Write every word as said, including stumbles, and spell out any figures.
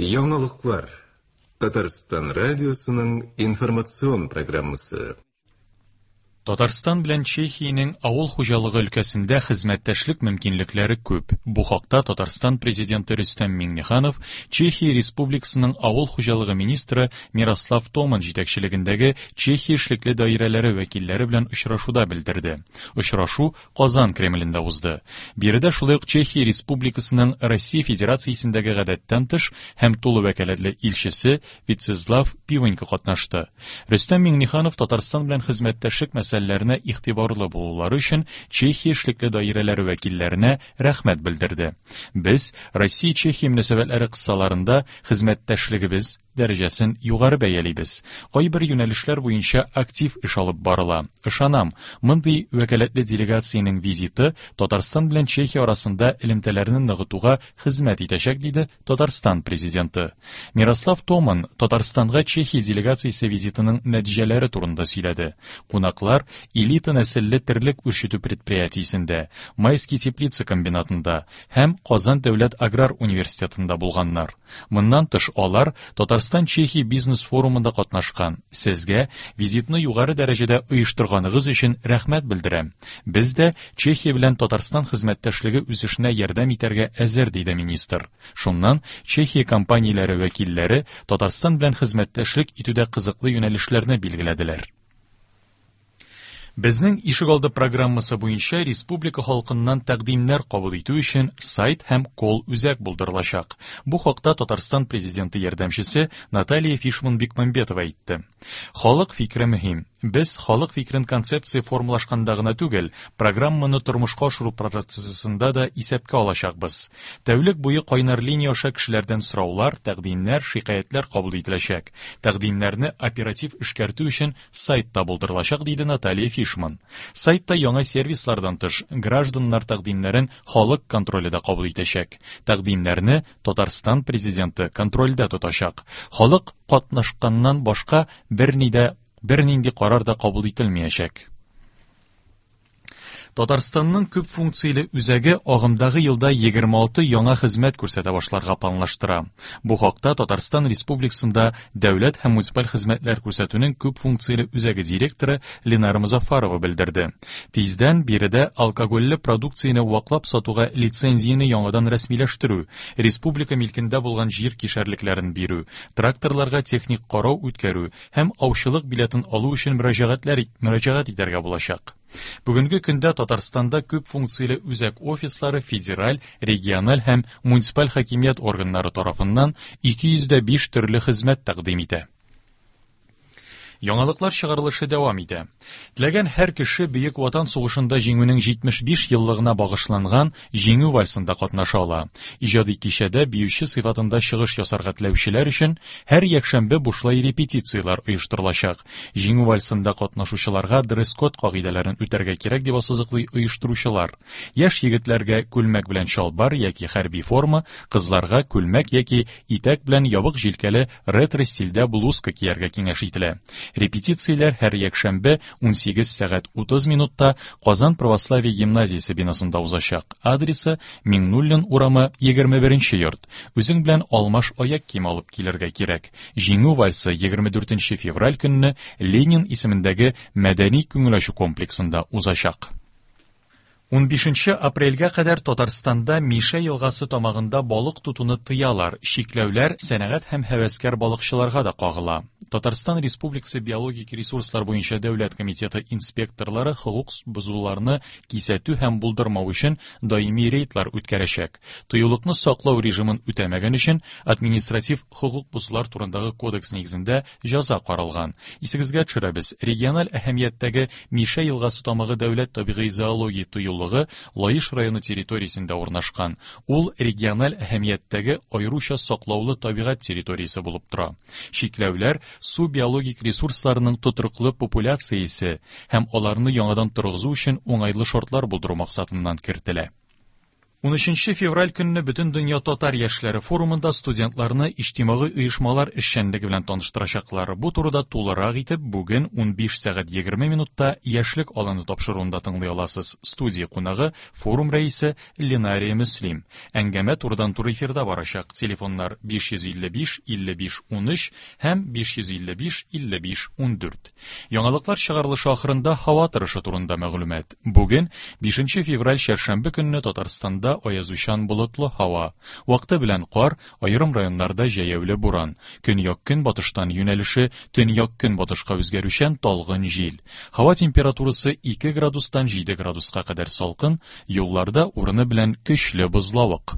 Яңалыклар. Татарстан радиосының информацион программасы. Татарстан белән Чехиянең авыл хуҗалыгы өлкәсендә хезмәттәшлек мөмкинлекләре күп. Бу хакта Татарстан президенты Рөстәм Миңнеханов Чехия Республикасының авыл хуҗалыгы министры Мирослав Томан җитәкчелегендәге Чехия эшлекле даирәләре вәкилләре белән очрашуда белдерде. Очрашу Казан Кремлендә узды. Биредә шулай ук Чехия Республикасының Россия Федерациясендәге гадәттән тыш һәм тулы вәкаләтле илчесе Вицезлав Пивонько катнашты. Рөстәм Миңнеханов Татарстан белән хезмәттәшлек мәсьәләләренә игътибарлы булулары өчен Чехия эшлекле даирәләре вәкилләренә рәхмәт белдерде. Без Россия-Чехия мөнәсәбәтләре кысаларында хезмәттәшлегебез дәрәҗәсен югары бәялибез. Кайбер юнәлешләр буенча актив эш алып барыла. Ышанам, мондый вәкаләтле делегациянең визиты Татарстан белән Чехия арасында элемтәләрне ныгытуга хезмәт итәчәк, диде Татарстан президенты. Мирослав Томан Татарстанга Чехия делегациясе визитының нәтиҗәләре турында сөйләде. Кунаклар элита нәселле терлек үрчетү предприятиесендә, Майский теплица комбинатында һәм Казан дәүләт аграр университетында булганнар. Моннан тыш алар Татарстан-Чехия бизнес форумында катнашкан. Сезгә визитны югары дәрәҗәдә оештырганыгыз өчен рәхмәт белдерәм. Без дә Чехия белән Татарстан хезмәттәшлеге үсешенә ярдәм итәргә әзер, диде министр. Шуннан Чехия компанияләре вәкилләре Татарстан белән хезмәттәшлек итүдә кызыклы юнәлешләрне билгеләделәр. Безнең ишегалды программасы буенча республика халкыннан тәкъдимнәр кабул итү өчен сайт һәм колл-үзәк булдырылачак. Бу хакта Татарстан президенты ярдәмчесе Наталья Фишман-Бекмамбетова әйтте. Халык фикере мөһим. Без халык фикерен концепция формалашканда гына түгел, программаны тормышка ашыру процессында да исәпкә алачакбыз. Тәүлек буе кайнар линия аша кешеләрдән сораулар, тәкъдимнәр, шикаятьләр кабул ителәчәк. Тәкъдимнәрне оператив эшкәртү өчен сайт та булдырылачак, диде Наталья Фишман. Сайтта яңа сервислардан тыш гражданнар тәкъдимнәрен халык контроле дә кабул итәчәк. Тәкъдимнәрне Татарстан президенты контрольдә тотачак. Халык катнашканнан башка берни дә бернинди карар да кабул ителмәячәк. Татарстанның күп функцияле үзәге агымдагы елда егерме алты яңа хезмәт күрсәтә башларга планлаштыра. Бу хакта Татарстан Республикасында дәүләт һәм муниципаль хезмәтләр күрсәтүнең күп функцияле үзәге директоры Ленара Музафарова белдерде. Тиздән биредә алкогольле продукцияне ваклап сатуга лицензияне яңадан рәсмиләштерү, республика милкендә булган җир кишәрлекләрен бирү, тракторларга техник карау үткәрү һәм аучылык билетын алу өчен мөрәҗәгатьләр мөрәҗәгать итәргә булачак. Бүгенге көндә Татарстанда күп функцияле үзәк офислары федераль, региональ һәм муниципаль хакимият органнары тарафыннан ике йөз дә биш төрле хезмәт тәкъдим итә. Яңалыклар чыгарылышы дәвам итә. Теләгән һәр кеше Бөек Ватан сугышында җиңүнең җитмеш биш еллыгына багышланган Җиңү вальсында катнаша ала. Иҗади кичәдә биюче сыйфатында чыгыш ясарга теләүчеләр өчен һәр якшәмбе бушлай репетицияләр оештырылачак. Җиңү вальсында катнашучыларга дресс-код кагыйдәләрен үтәргә кирәк дип ассызыклый оештыручылар. Яшь егетләргә күлмәк белән чалбар яки хәрби форма, кызларга күлмәк яки итәк белән ябык җилкәле ретро стильдә блузка кияргә киңәш ителә. Репетицияләр һәр якшәмбе ун сигез сәгать утыз минутта Казан православие гимназиясе бинасында узачак. Адресы Миңнуллин урамы егерме беренче йорт. Үзең белән алмаш аяк кием алып килергә кирәк. Җиңү вальсы егерме дүртенче февраль көнне Ленин исемендәге мәдәни күңел ачу комплексында узачак. Унбишенче апрельгә кадәр Татарстанда Мишә елгасы тамагында балык тотуны тыялар. Чикләүләр сәнәгать һәм һәвәскәр балыкчыларга да кагыла. Татарстан Республикасы биологик ресурслар буенча дәүләт комитеты инспекторлары хокук бозуларны кисәтү һәм булдырмау өчен даими рейдлар үткәрәчәк. Тыюлыкны саклау режимын үтәмәгән өчен административ хокук бозулар турындагы кодекс нигезендә җәза каралган. Исегезгә төшерәбез, региональ әһәмияттәге Мишә елгасы тамагы дәүләт табигый зоология тыюлыгы Лаеш районы территориясендә урнашкан. Ул региональ әһәмияттәге аеруча саклаулы табигать территориясе булып тора. Чикләүләр су биологик ресурсларының тотрыклы популяциясе һәм аларны яңадан торгызу өчен уңайлы шартлар булдыру максатыннан кертелә. Унөченче февраль көнне Бөтендөнья татар яшьләре форумында студентларны иҗтимагый оешмалар эшчәнлеге белән таныштырачаклар. Бу турыда тулырак итеп бүген унбиш сәгать егерме минутта Яшьлек аланы тапшыруында тыңлый аласыз. Студия кунагы форум рәисе Ленария Мөслим. Әңгәмә турыдан-туры эфирда барачак. Телефоннар биш йөз илле биш илле биш унөч һәм биш йөз илле биш илле биш ундүрт. Яңалыклар чыгарылышы ахырында һава торышы турында мәгълүмат. Бүген бишенче февраль чәршәмбе көнне Татарстанда аязучан болытлы һава. Вакыты белән кар, аерым районнарда җәяүле буран. Көньяк-көнбатыштан юнәлеше төньяк-көнбатышка үзгәрүчән талгын җил. Һава температурасы ике градустан җиде градуска кадәр салкын, юлларда урыны белән көчле бозлавык.